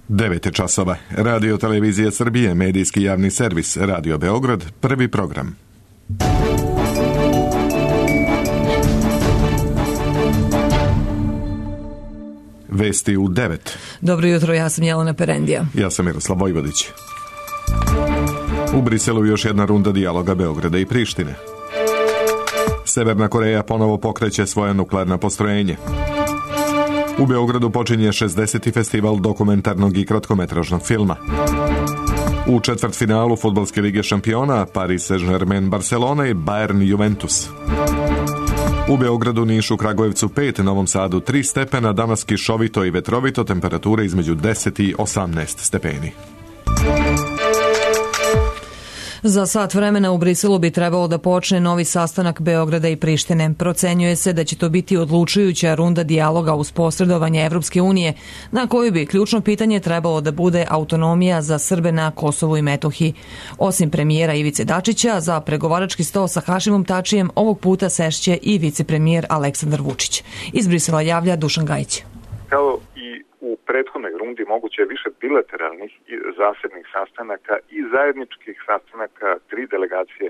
9 časova. Radio Televizija Srbije, medijski javni servis, Radio Beograd, prvi program. Vesti u 9. Dobro jutro, ja sam Jelena Perendija. Ja sam Miroslav Vojvodić. U Briselu još jedna runda dijaloga Beograda i Prištine. Severna Koreja ponovo pokreće svoja nuklearna postrojenje. U Beogradu počinje 60. festival dokumentarnog i kratkometražnog filma. U četvrtfinalu Fudbalske lige šampiona Paris Saint-Germain Barcelona i Bayern Juventus. U Beogradu, Nišu, Kragujevcu 5, Novom Sadu 3 stepena, danas kišovito i vetrovito, temperature između 10 i 18 stepeni. Za sat vremena u Briselu bi trebalo da počne novi sastanak Beograda i Prištine. Procenjuje se da će to biti odlučujuća runda dijaloga uz posredovanje Evropske unije, na koju bi ključno pitanje trebalo da bude autonomija za Srbe na Kosovu i Metohiji. Osim premijera Ivice Dačića, za pregovarački sto sa Hašimom Tačijem ovog puta sešće i vicepremijer Aleksandar Vučić. Iz Brisela javlja Dušan Gajić. Kao i u prethodnoj rundi moguće je više bilateralnih i zasebnih sastanaka i zajedničkih sastanaka 3 delegacije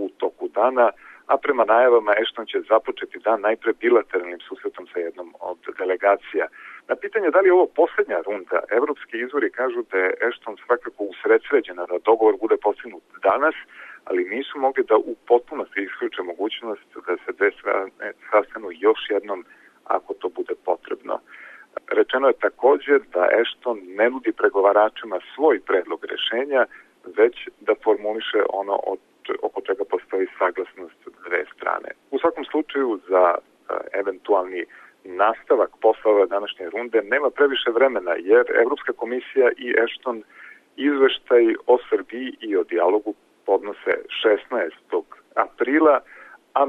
u toku dana, a prema najavama Ashton će započeti dan najpre bilateralnim susretom sa jednom od delegacija. Na pitanje da li je ovo posljednja runda, evropski izvori kažu da je Ashton svakako usredsređena da dogovor bude postignut danas, ali nisu mogli da u potpunosti isključe mogućnost da se dve strane sastanu još jednom ako to bude potrebno. Rečeno je također da Ashton ne nudi pregovaračima svoj predlog rešenja, već da formuliše ono oko čega postoji saglasnost dve strane. U svakom slučaju za eventualni nastavak posla ove današnje runde nema previše vremena, jer Evropska komisija i Ashton izveštaj o Srbiji i o dijalogu podnose 16. aprila, a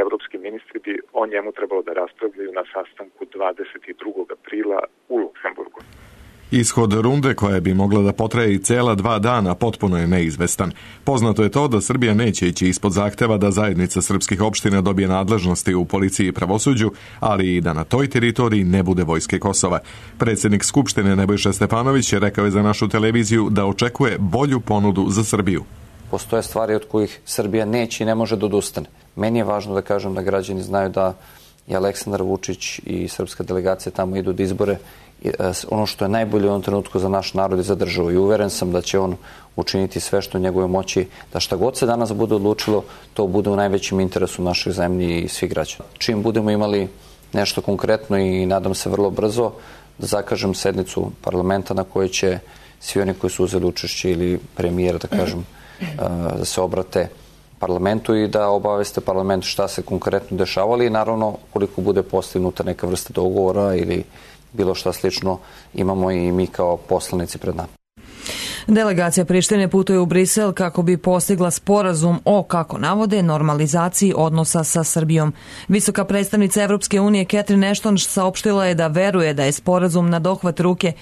evropski ministri bi o njemu trebalo da raspravljaju na sastanku 22. aprila u Luksemburgu. Ishod runde, koja bi mogla da potraje i cela 2 dana, potpuno je neizvestan. Poznato je to da Srbija neće ići ispod zahteva da zajednica srpskih opština dobije nadležnosti u policiji i pravosuđu, ali i da na toj teritoriji ne bude vojske Kosova. Predsjednik Skupštine Nebojša Stefanović rekao je za našu televiziju da očekuje bolju ponudu za Srbiju. Postoje stvari od kojih Srbija neće i ne može da odustane. Meni je važno da kažem da građani znaju da i Aleksandar Vučić i srpska delegacija tamo idu da izbore ono što je najbolje u ovom trenutku za naš narod i za državu. I uveren sam da će on učiniti sve što u njegove moći, da šta god se danas bude odlučilo, to bude u najvećem interesu naših zemlji i svih građana. Čim budemo imali nešto konkretno i nadam se vrlo brzo da zakažem sednicu parlamenta na kojoj će svi oni koji su uzeli učešće ili premijer, da kažem, da se obrate parlamentu i da obaveste parlament šta se konkretno dešavali i naravno koliko bude postignuta neka vrsta dogovora ili bilo šta slično imamo i mi kao poslanici pred nama. Delegacija Prištine putuje u Brisel kako bi postigla sporazum o, kako navode, normalizaciji odnosa sa Srbijom. Visoka predstavnica Evropske unije Catherine Ashton saopštila je da veruje da je sporazum na dohvat ruke,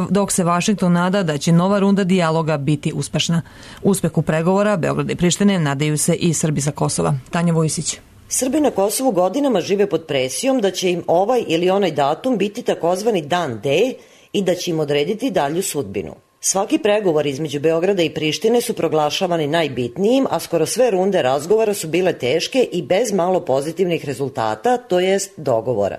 dok se Vašington nada da će nova runda dijaloga biti uspešna. Uspehu pregovora Beograda i Prištine nadaju se i Srbi sa Kosova. Tanja Vojsić. Srbi na Kosovu godinama žive pod presijom da će im ovaj ili onaj datum biti takozvani dan D i da će im odrediti dalju sudbinu. Svaki pregovor između Beograda i Prištine su proglašavani najbitnijim, a skoro sve runde razgovora su bile teške i bez malo pozitivnih rezultata, to jest dogovora.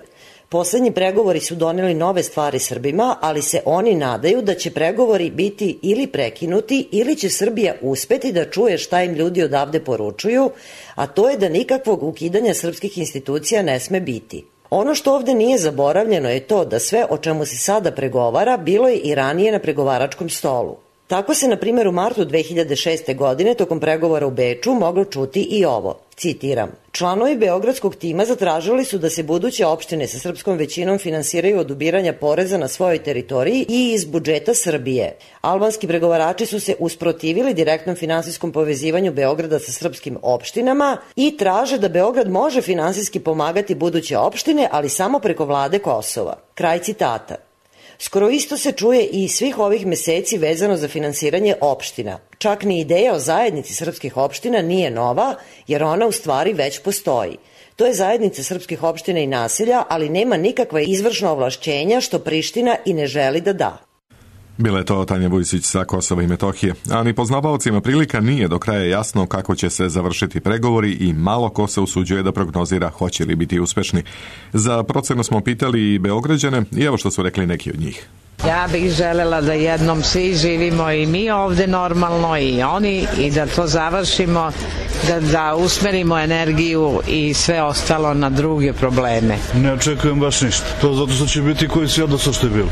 Poslednji pregovori su doneli nove stvari Srbima, ali se oni nadaju da će pregovori biti ili prekinuti ili će Srbija uspeti da čuje šta im ljudi odavde poručuju, a to je da nikakvog ukidanja srpskih institucija ne sme biti. Ono što ovde nije zaboravljeno je to da sve o čemu se sada pregovara bilo je i ranije na pregovaračkom stolu. Tako se, na primjer, u martu 2006. godine tokom pregovora u Beču moglo čuti i ovo, citiram: članovi beogradskog tima zatražili su da se buduće opštine sa srpskom većinom finansiraju od ubiranja poreza na svojoj teritoriji i iz budžeta Srbije. Albanski pregovarači su se usprotivili direktnom finansijskom povezivanju Beograda sa srpskim opštinama i traže da Beograd može finansijski pomagati buduće opštine, ali samo preko vlade Kosova. Kraj citata. Skoro isto se čuje i svih ovih meseci vezano za finansiranje opština. Čak ni ideja o zajednici srpskih opština nije nova, jer ona u stvari već postoji. To je zajednica srpskih opština i naselja, ali nema nikakva izvršna ovlašćenja što Priština i ne želi da da. Bila je to Tanja Vujsić sa Kosova i Metohije, a ni poznavaocima prilika nije do kraja jasno kako će se završiti pregovori i malo ko se usuđuje da prognozira hoće li biti uspešni. Za procenu smo pitali i Beograđane i evo što su rekli neki od njih. Ja bih želela da jednom svi živimo i mi ovde normalno i oni i da to završimo, da usmerimo energiju i sve ostalo na druge probleme. Ne očekujem baš ništa. To zato što će biti koji si odnosno što je bilo.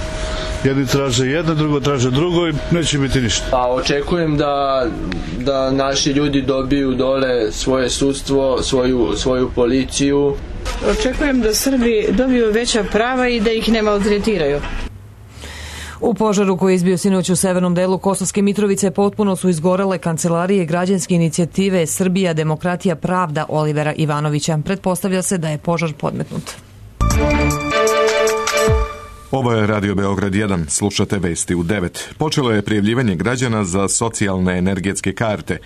Jedni traže jedno, drugo traže drugo i neće biti ništa. Pa očekujem da naši ljudi dobiju dole svoje sudstvo, svoju policiju. Očekujem da Srbi dobiju veća prava i da ih ne maltretiraju. U požaru koji je izbio sinoć u severnom delu Kosovske Mitrovice potpuno su izgorele kancelarije građanske inicijative Srbija, demokratija, pravda Olivera Ivanovića. Pretpostavlja se da je požar podmetnut. Ovo je Radio Beograd 1, slušate vesti u 9. Počelo je prijavljivanje građana za socijalne energetske karte,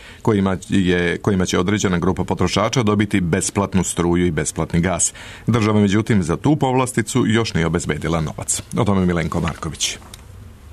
kojima će određena grupa potrošača dobiti besplatnu struju i besplatni gas. Država, međutim, za tu povlasticu još nije obezbedila novac. O tome Milenko Marković.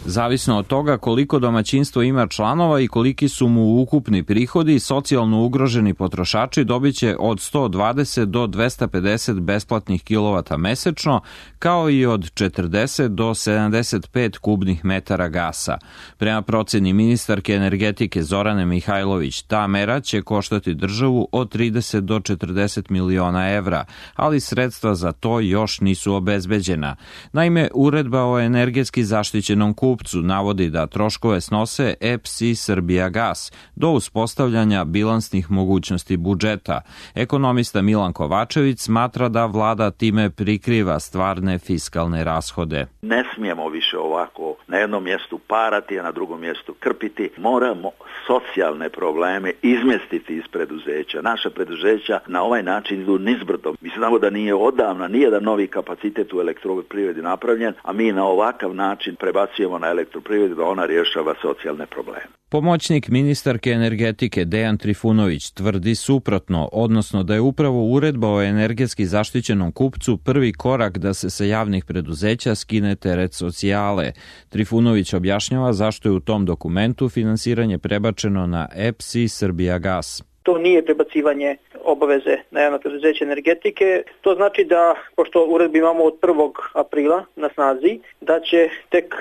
Zavisno od toga koliko domaćinstvo ima članova i koliki su mu ukupni prihodi, socijalno ugroženi potrošači dobit će od 120 do 250 besplatnih kilovata mesečno, kao i od 40 do 75 kubnih metara gasa. Prema proceni ministarke energetike Zorane Mihajlović, ta mera će koštati državu od 30 do 40 miliona evra, ali sredstva za to još nisu obezbeđena. Naime, uredba o energetski zaštićenom kupcu navodi da troškove snose EPS i Srbijagas do uspostavljanja bilansnih mogućnosti budžeta. Ekonomista Milan Kovačević smatra da vlada time prikriva stvarne fiskalne rashode. Ne smijemo više ovako na jednom mjestu parati, a na drugom mjestu krpiti. Moramo socijalne probleme izmjestiti iz preduzeća. Naša preduzeća na ovaj način idu nizbrdo. Mi znamo da nije odavna nijedan novi kapacitet u elektroprivredi napravljen, a mi na ovakav način prebacujemo na elektroprivredu da ona rješava socijalne probleme. Pomoćnik ministarke energetike Dejan Trifunović tvrdi suprotno, odnosno da je upravo uredba o energetski zaštićenom kupcu prvi korak da se sa javnih preduzeća skine teret socijale. Trifunović objašnjava zašto je u tom dokumentu finansiranje prebačeno na EPS i Srbijagas. To nije prebacivanje obaveze na javno preduzeće energetike. To znači da, pošto uredbu imamo od 1. aprila na snazi, da će tek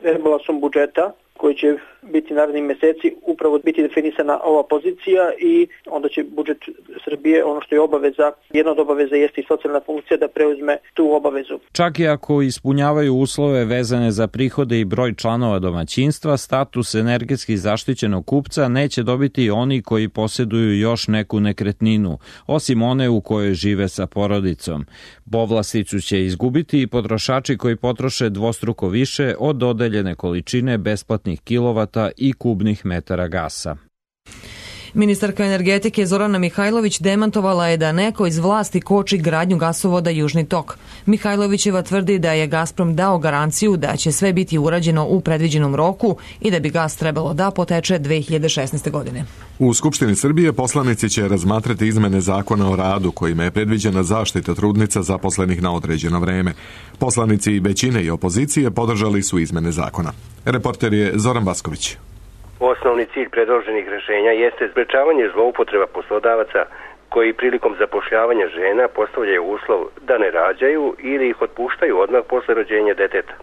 rebalansom budžeta koji će biti narednih meseci upravo biti definisana ova pozicija i onda će budžet Srbije, ono što je obaveza, jedna od obaveza jeste i socijalna funkcija da preuzme tu obavezu. Čak i ako ispunjavaju uslove vezane za prihode i broj članova domaćinstva, status energetski zaštićenog kupca neće dobiti oni koji posjeduju još neku nekretninu, osim one u kojoj žive sa porodicom. Povlasticu će izgubiti i potrošači koji potroše dvostruko više od dodeljene količine besplatnih kilovata i kubnih metara gasa. Ministarka energetike Zorana Mihajlović demantovala je da neko iz vlasti koči gradnju gasovoda Južni tok. Mihajlovićeva tvrdi da je Gazprom dao garanciju da će sve biti urađeno u predviđenom roku i da bi gas trebalo da poteče 2016. godine. U Skupštini Srbije poslanici će razmatrati izmene zakona o radu kojima je predviđena zaštita trudnica zaposlenih na određeno vreme. Poslanici većine i opozicije podržali su izmene zakona. Reporter je Zoran Vasković. Osnovni cilj predloženih rješenja jeste sprečavanje zloupotreba poslodavaca koji prilikom zapošljavanja žena postavljaju uslov da ne rađaju ili ih otpuštaju odmah posle rođenja deteta.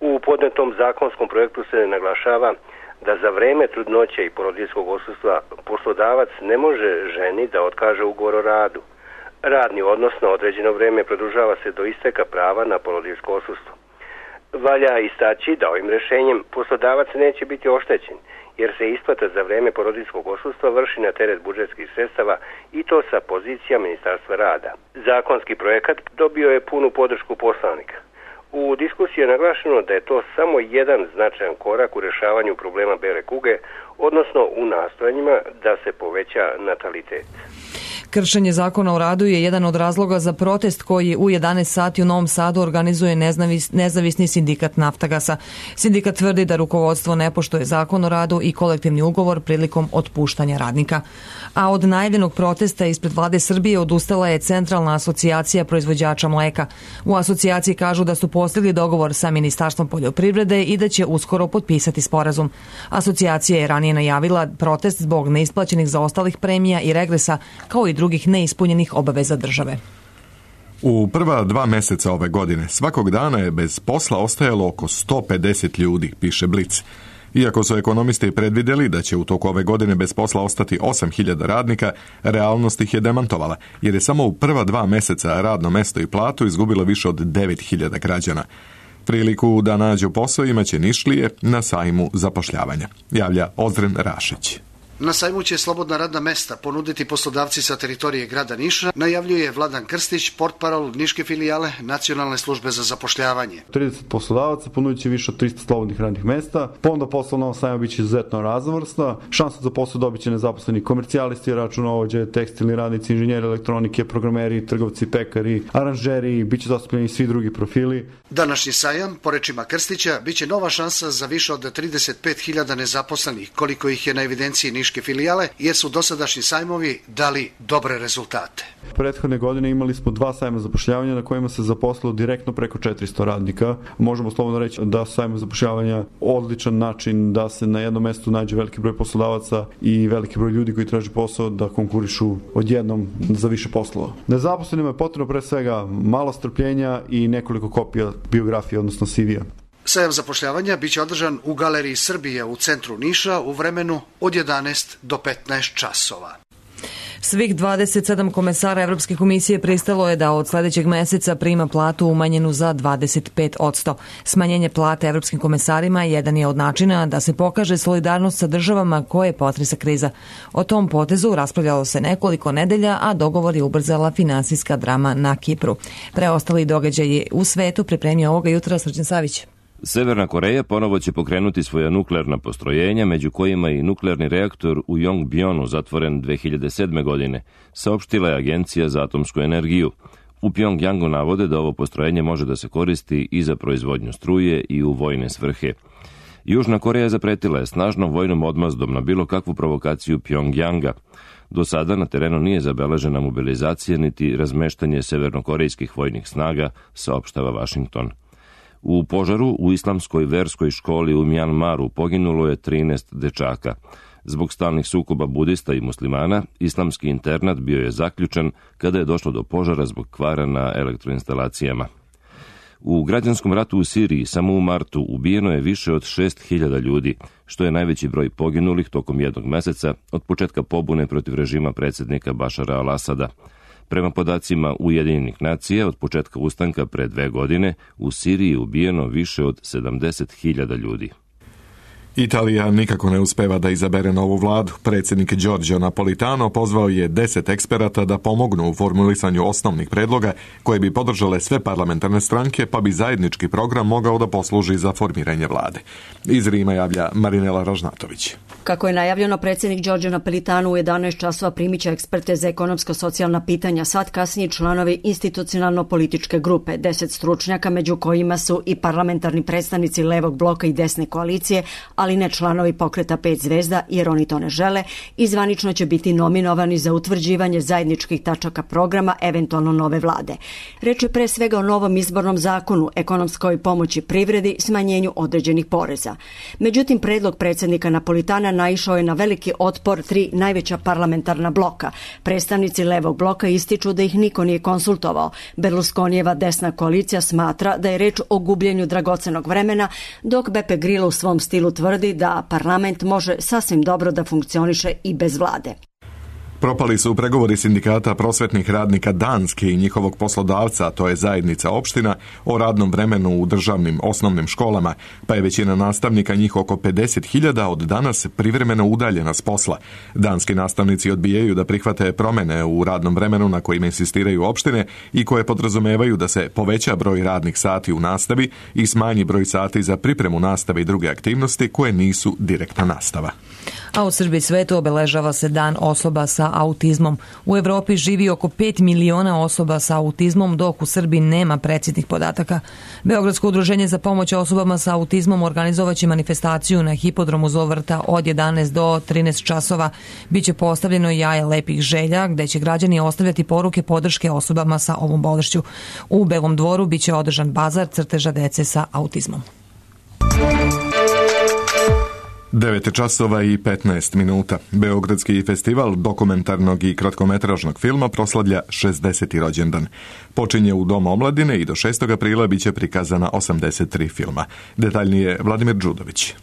U podnetom zakonskom projektu se naglašava da za vreme trudnoće i porodiljskog odsustva poslodavac ne može ženi da otkaže ugovor o radu. Radni odnos na određeno vrijeme produžava se do isteka prava na porodiljsko odsustvo. Valja istaći da ovim rješenjem poslodavac neće biti oštećen, jer se isplata za vrijeme porodiljskog odsustva vrši na teret budžetskih sredstava i to sa pozicija Ministarstva rada. Zakonski projekat dobio je punu podršku poslanika. U diskusiji je naglašeno da je to samo jedan značajan korak u rješavanju problema bele kuge, odnosno u nastojanjima da se poveća natalitet. Kršenje zakona o radu je jedan od razloga za protest koji u 11 sati u Novom Sadu organizuje nezavisni sindikat Naftagasa. Sindikat tvrdi da rukovodstvo ne poštuje zakon o radu i kolektivni ugovor prilikom otpuštanja radnika. A od najavljenog protesta ispred vlade Srbije odustala je Centralna asocijacija proizvođača mleka. U asocijaciji kažu da su postigli dogovor sa Ministarstvom poljoprivrede i da će uskoro potpisati sporazum. Asocijacija je ranije najavila protest zbog neisplaćenih zaostalih premija i regresa, kao i drugih neispunjenih obaveza države. U prva 2 meseca ove godine svakog dana je bez posla ostajalo oko 150 ljudi, piše Blic. Iako su ekonomisti predvidjeli da će u toku ove godine bez posla ostati 8.000 radnika, realnost ih je demantovala, jer je samo u prva 2 meseca radno mesto i platu izgubilo više od 9.000 građana. Priliku da nađu posao imaće Nišlije na sajmu zapošljavanja, javlja Ozren Rašić. Na sajmu će slobodna radna mesta ponuditi poslodavci sa teritorije grada Niša, najavljuje Vladan Krstić, portparol Niške filijale Nacionalne službe za zapošljavanje. 30 poslodavaca ponudit će više od 300 slobodnih radnih mesta, ponuda posla na ovom sajmu biće izuzetno raznovrsna, šansu za posao dobit će nezaposleni komercijalisti, računovođe, tekstilni radnici, inženjeri elektronike, programeri, trgovci, pekari, aranžeri, biće zastupljeni svi drugi profili. Današnji sajam, po rečima Krstića, biće nova šansa za više od 35.000 nezaposlenih, koliko ih je na evidenciji Niške filijale, jer su dosadašnji sajmovi dali dobre rezultate. Prethodne godine imali smo 2 sajma zapošljavanja na kojima se zaposlilo direktno preko 400 radnika. Možemo slobodno reći da su sajma zapošljavanja odličan način da se na jednom mestu nađe veliki broj poslodavaca i veliki broj ljudi koji traže posao da konkurišu odjednom za više poslova. Nezaposlenima je potrebno pre svega malo strpljenja i nekoliko kopija biografije, odnosno CV-a. Sajam zapošljavanja biće održan u Galeriji Srbije u centru Niša u vremenu od 11 do 15 časova. Svih 27 komesara Evropske komisije pristalo je da od sljedećeg meseca prima platu umanjenu za 25%. Smanjenje plate evropskim komesarima jedan je od načina da se pokaže solidarnost sa državama koje potresa kriza. O tom potezu raspravljalo se nekoliko nedelja, a dogovor je ubrzala finansijska drama na Kipru. Preostali događaji u svetu pripremio ovoga jutra Srđan Savić. Severna Koreja ponovo će pokrenuti svoja nuklearna postrojenja, među kojima i nuklearni reaktor u Yongbyon zatvoren 2007. godine, saopštila je Agencija za atomsku energiju. U Pjongjangu navode da ovo postrojenje može da se koristi i za proizvodnju struje i u vojne svrhe. Južna Koreja zapretila je snažnom vojnom odmazdom na bilo kakvu provokaciju Pjongjanga. Do sada na terenu nije zabeležena mobilizacija niti razmeštanje severnokorejskih vojnih snaga, saopštava Washington. U požaru u islamskoj verskoj školi u Mjanmaru poginulo je 13 dečaka. Zbog stalnih sukoba budista i muslimana, islamski internat bio je zaključan kada je došlo do požara zbog kvara na elektroinstalacijama. U građanskom ratu u Siriji samo u martu ubijeno je više od 6.000 ljudi, što je najveći broj poginulih tokom jednog meseca od početka pobune protiv režima predsjednika Bašara al-Asada. Prema podacima Ujedinjenih nacija, od početka ustanka pre 2 godine u Siriji je ubijeno više od 70.000 ljudi. Italija nikako ne uspeva da izabere novu vladu. Predsjednik Giorgio Napolitano pozvao je 10 eksperata da pomognu u formulisanju osnovnih predloga koje bi podržale sve parlamentarne stranke, pa bi zajednički program mogao da posluži za formiranje vlade. Iz Rima javlja Marinela Ražnatović. Kako je najavljeno, predsjednik Giorgio Napolitano u 11 časova primit će eksperte za ekonomsko-socijalna pitanja, sad kasnije članovi institucionalno-političke grupe, 10 stručnjaka, među kojima su i parlamentarni predstavnici levog bloka i desne koalicije, ali ne članovi pokreta 5 zvezda, jer oni to ne žele, i zvanično će biti nominovani za utvrđivanje zajedničkih tačaka programa, eventualno nove vlade. Reč je pre svega o novom izbornom zakonu, ekonomskoj pomoći privredi, smanjenju određenih poreza. Međutim, predlog predsjednika Napolitana naišao je na veliki otpor 3 najveća parlamentarna bloka. Predstavnici levog bloka ističu da ih niko nije konsultovao. Berlusconijeva desna koalicija smatra da je reč o gubljenju dragocenog vremena, dok Beppe Grillo u svom stilu tvrdi da parlament može sasvim dobro da funkcioniše i bez vlade. Propali su pregovori sindikata prosvetnih radnika Danske i njihovog poslodavca, a to je zajednica opština, o radnom vremenu u državnim osnovnim školama, pa je većina nastavnika, njih oko 50.000, od danas privremeno udaljena s posla. Danski nastavnici odbijaju da prihvate promene u radnom vremenu na kojima insistiraju opštine i koje podrazumevaju da se poveća broj radnih sati u nastavi i smanji broj sati za pripremu nastave i druge aktivnosti koje nisu direktna nastava. A u Srbiji svetu obeležava se Dan osoba sa sa autizmom. U Evropi živi oko 5 miliona osoba sa autizmom, dok u Srbiji nema preciznih podataka. Beogradsko udruženje za pomoć osobama sa autizmom organizovaće manifestaciju na hipodromu Zovrta od 11 do 13 časova. Biće postavljeno jaje lepih želja, gde će građani ostavljati poruke podrške osobama sa ovom bolešću. U Belom Dvoru biće održan bazar crteža dece sa autizmom. 9 časova i 15 minuta. Beogradski festival dokumentarnog i kratkometražnog filma proslavlja 60. rođendan. Počinje u Domu omladine i do 6. aprila biće prikazana 83 filma. Detaljnije Vladimir Đudović.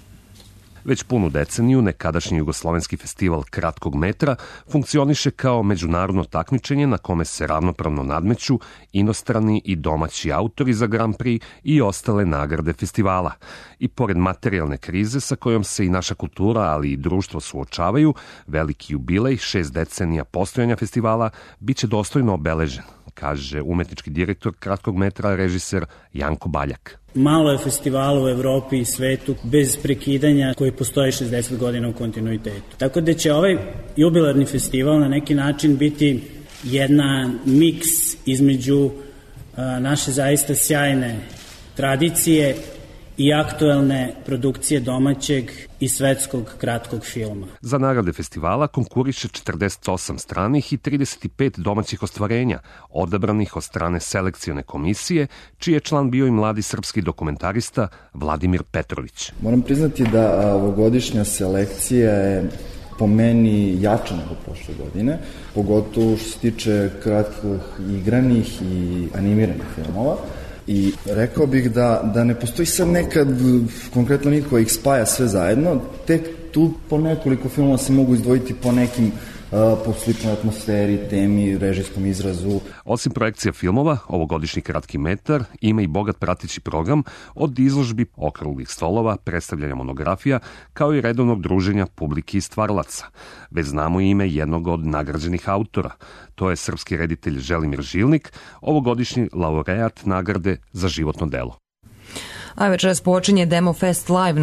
Već punu deceniju nekadašnji Jugoslovenski festival kratkog metra funkcioniše kao međunarodno takmičenje na kome se ravnopravno nadmeću inostrani i domaći autori za Grand Prix i ostale nagrade festivala. I pored materijalne krize sa kojom se i naša kultura, ali i društvo suočavaju, veliki jubilej 6 decenija postojanja festivala biće dostojno obeležen, kaže umetnički direktor kratkog metra, režiser Janko Baljak. Malo je festivala u Evropi i svetu bez prekidanja koji postoji 60 godina u kontinuitetu. Tako da će ovaj jubilarni festival na neki način biti jedna miks između naše zaista sjajne tradicije i aktuelne produkcije domaćeg i svetskog kratkog filma. Za nagrade festivala konkuriše 48 stranih i 35 domaćih ostvarenja, odabranih od strane selekcione komisije, čiji je član bio i mladi srpski dokumentarista Vladimir Petrović. Moram priznati da ovogodišnja selekcija je po meni jača nego prošle godine, pogotovo što se tiče kratkih igranih i animiranih filmova. I rekao bih da ne postoji sad nekad konkretno niko koji ih spaja sve zajedno, tek tu po nekoliko filmova se mogu izdvojiti po nekim po sličnoj atmosferi, temi, režijskom izrazu. Osim projekcija filmova, ovogodišnji kratki metar ima i bogat prateći program od izložbi, okruglih stolova, predstavljanja monografija, kao i redovnog druženja publike i stvaralaca. Već znamo ime jednog od nagrađenih autora. To je srpski reditelj Želimir Žilnik, ovogodišnji laureat nagrade za životno delo. A večeras počinje Demo Fest Live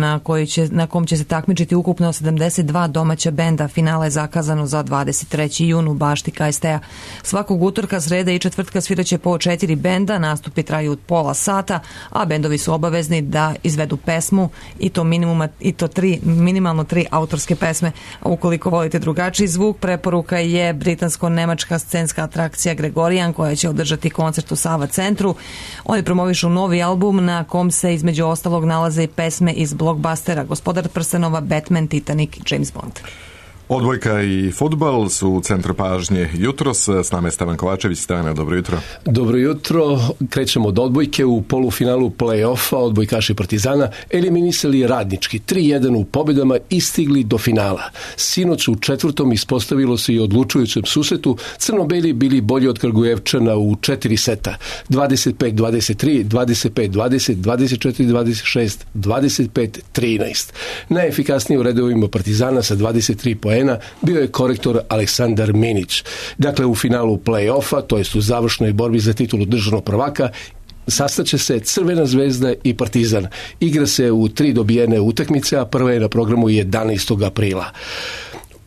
na kom će se takmičiti ukupno 72 domaća benda. Finale je zakazano za 23. jun u bašti KST-a. Svakog utorka, srede i četvrtka sviraće po 4 benda, nastupi traju od pola sata, a bendovi su obavezni da izvedu pesmu i to minimalno 3 autorske pesme. Ukoliko volite drugačiji zvuk, preporuka je britansko-nemačka scenska atrakcija Gregorian, koja će održati koncert u Sava centru. Oni promovišu novi album na kom se između ostalog nalaze i pesme iz blockbustera Gospodar prstenova, Batman, Titanic, James Bond. Odbojka i fudbal su u centru pažnje jutros. S nama je Stevan Kovačević. Stevane, dobro jutro. Dobro jutro. Krećemo od odbojke. U polufinalu play-offa odbojkaši Partizana eliminisali Radnički 3-1 u pobjedama i stigli do finala. Sinoć u četvrtom ispostavilo se i odlučujućem susretu. Crno-beli bili bolji od Krgujevčana u 4 seta. 25-23, 25-20, 24-26, 25-13. Najefikasniji u redovima Partizana sa 23 poena bio je korektor Aleksandar Minić. Dakle, u finalu play-offa, to jest u završnoj borbi za titulu državnog prvaka, sastaće se Crvena zvezda i Partizan. Igra se u 3 dobijene utakmice, a prva je na programu 11. aprila.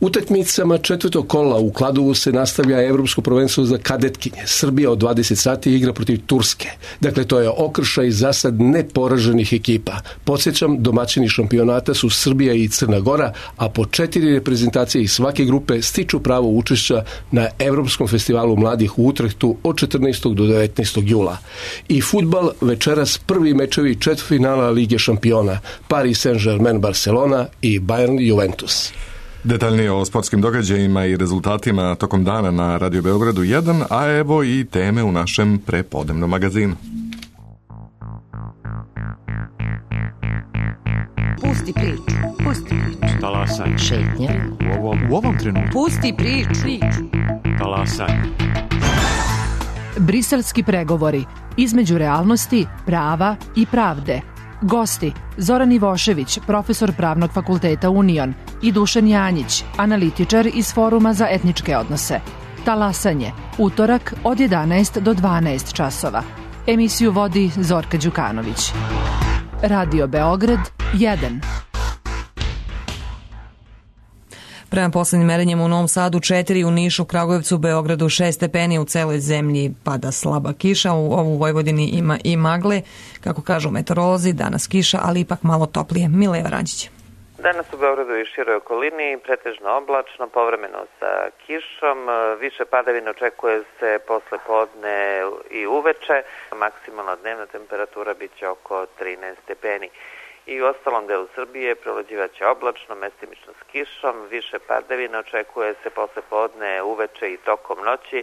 Utakmicama četvrtog kola u Kladovu se nastavlja Evropsko prvenstvo za kadetkinje. Srbija od 20 sati igra protiv Turske. Dakle, to je okršaj za sad neporaženih ekipa. Podsjećam, domaćini šampionata su Srbija i Crna Gora, a po 4 reprezentacije iz svake grupe stiču pravo učešća na Evropskom festivalu mladih u Utrehtu od 14. do 19. jula. I fudbal, večeras prvi mečevi četvrtfinala Lige šampiona. Paris Saint-Germain Barcelona i Bayern Juventus. Detaljnije o sportskim događajima i rezultatima tokom dana na Radio Beogradu 1, a evo i teme u našem prepodnevnom magazinu. Pusti priču. Pusti priču. Talasaj. Šetnja. U ovom trenutku. Pusti priču. Talasaj. Briselski pregovori između realnosti, prava i pravde. Gosti Zoran Ivošević, profesor Pravnog fakulteta Union, i Dušan Janjić, analitičar iz Foruma za etničke odnose. Talasanje, utorak od 11 do 12 časova. Emisiju vodi Zorka Đukanović. Radio Beograd 1. Prema poslednjim merenjima u Novom Sadu 4, u Nišu, Kragujevcu, Beogradu 6 stepeni, u celoj zemlji pada slaba kiša, u Vojvodini ima i magle, kako kažu meteorolozi, danas kiša, ali ipak malo toplije. Mileva Rančić. Danas u Beogradu i široj okolini pretežno oblačno, povremeno sa kišom, više padavina očekuje se posle podne i uveče, maksimalna dnevna temperatura biće oko 13 stepeni. I u ostalom delu Srbije prolađivaće oblačno, mestimično s kišom, više padavina očekuje se posle podne, uveče i tokom noći,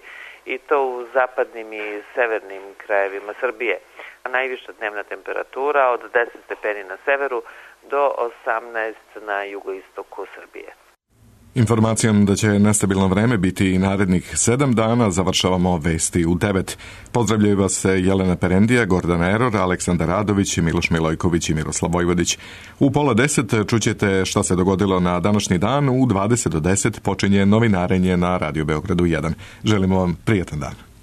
i to u zapadnim i severnim krajevima Srbije. Najviša dnevna temperatura od 10 stepeni na severu do 18 na jugoistoku Srbije. Informacijom da će nestabilno vreme biti i narednih 7 dana završavamo vesti u 9. Pozdravljaju vas Jelena Perendija, Gordana Eror, Aleksandar Radović, Miloš Milojković i Miroslav Vojvodić. U 9:30 čućete šta se dogodilo na današnji dan. U 20 do 10 počinje novinarenje na Radio Beogradu 1. Želimo vam prijatan dan.